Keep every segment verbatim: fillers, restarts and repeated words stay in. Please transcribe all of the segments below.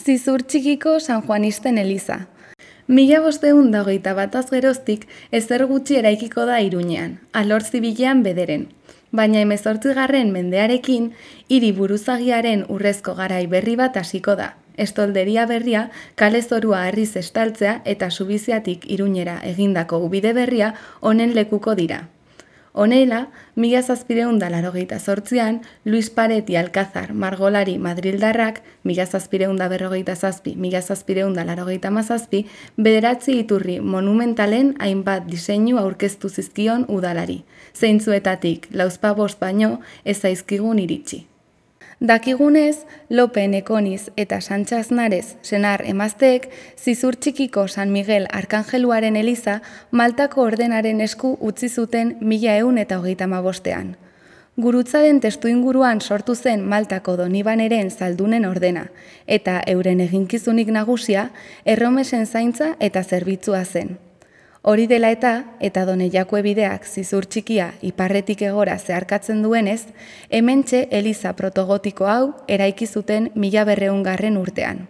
Zizur txikiko San Juanisten eliza. Mila bosteun da hogeita bataz geroztik ezer gutxi eraikiko da Iruñean, alor zibilean bederen. Baina hemezortzigarren mendearekin, hiri buruzagiaren urrezko garai berri bat hasiko da. Estolderia berria, kale zorua harriz estaltzea eta Subiziatik Iruñera egindako ubide berria honen lekuko dira. Honela, mila zazpireun da larogeita zortzian, Luis Pareti Alcázar margolari madrildarrak, mila zazpireun da berrogeita zazpi, mila zazpireun da larogeita mazazpi, bederatzi iturri monumentalen hainbat diseinu aurkeztu zizkion udalari. Zeintzuetatik lauzpabost baino ez zaizkigun iritsi. Dakigunez, Lope Nekoniz eta Santxa Aznarez senar emazteek Zizur txikiko San Miguel Arkangeluaren eliza Maltako ordenaren esku utzi zuten mila ehun eta hogeita hamabostean. Gurutzaren testuinguruan sortu zen Maltako Donibaneren zaldunen ordena, eta euren eginkizunik nagusia erromesen zaintza eta zerbitzua zen. Hori dela eta, eta Doneiakue bideak Zizur txikia iparretik egora zeharkatzen duenez, hementxe eliza protogotiko hau eraiki zuten mila berreungarren urtean.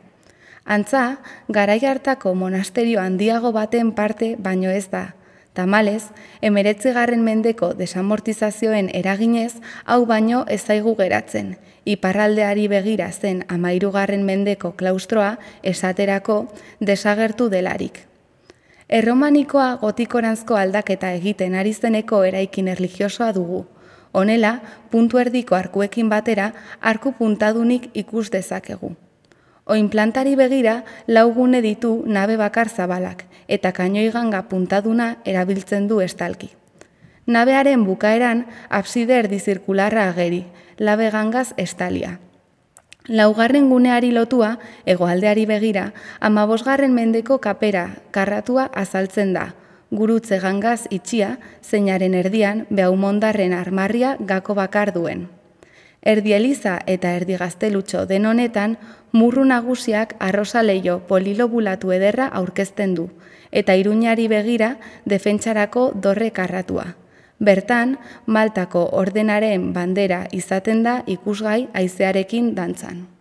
Antza, garai hartako monasterio handiago baten parte baino ez da. Tamalez, hemeretzigarren mendeko desamortizazioen eraginez, hau baino ez zaigu geratzen. Iparraldeari begira zen hamahirugarren mendeko klaustroa esaterako desagertu delarik. Erromanikoa gotikoranzko aldaketa egiten ari zeneko eraikin erlijiosoa dugu. Honela, puntu erdiko arkuekin batera, arku puntadunik ikus dezakegu. Oinplantari begira, laugune ditu nabe bakar zabalak, eta kainoiganga puntaduna erabiltzen du estalki. Nabearen bukaeran, abside erdizirkularra ageri, labe gangaz estalia. Laugarren guneari lotua, hegoaldeari begira, hamabosgarren mendeko kapera karratua azaltzen da, gurutze gangaz itxia, zeinaren erdian behaumondarren armarria gako bakar duen. Erdi eliza eta erdi gaztelutxo den honetan, murru nagusiak arrosa leio polilobulatu ederra aurkezten du, eta Iruñari begira defentsarako dorre karratua. Bertan, Maltako ordenaren bandera izaten da ikusgai haizearekin dantzan.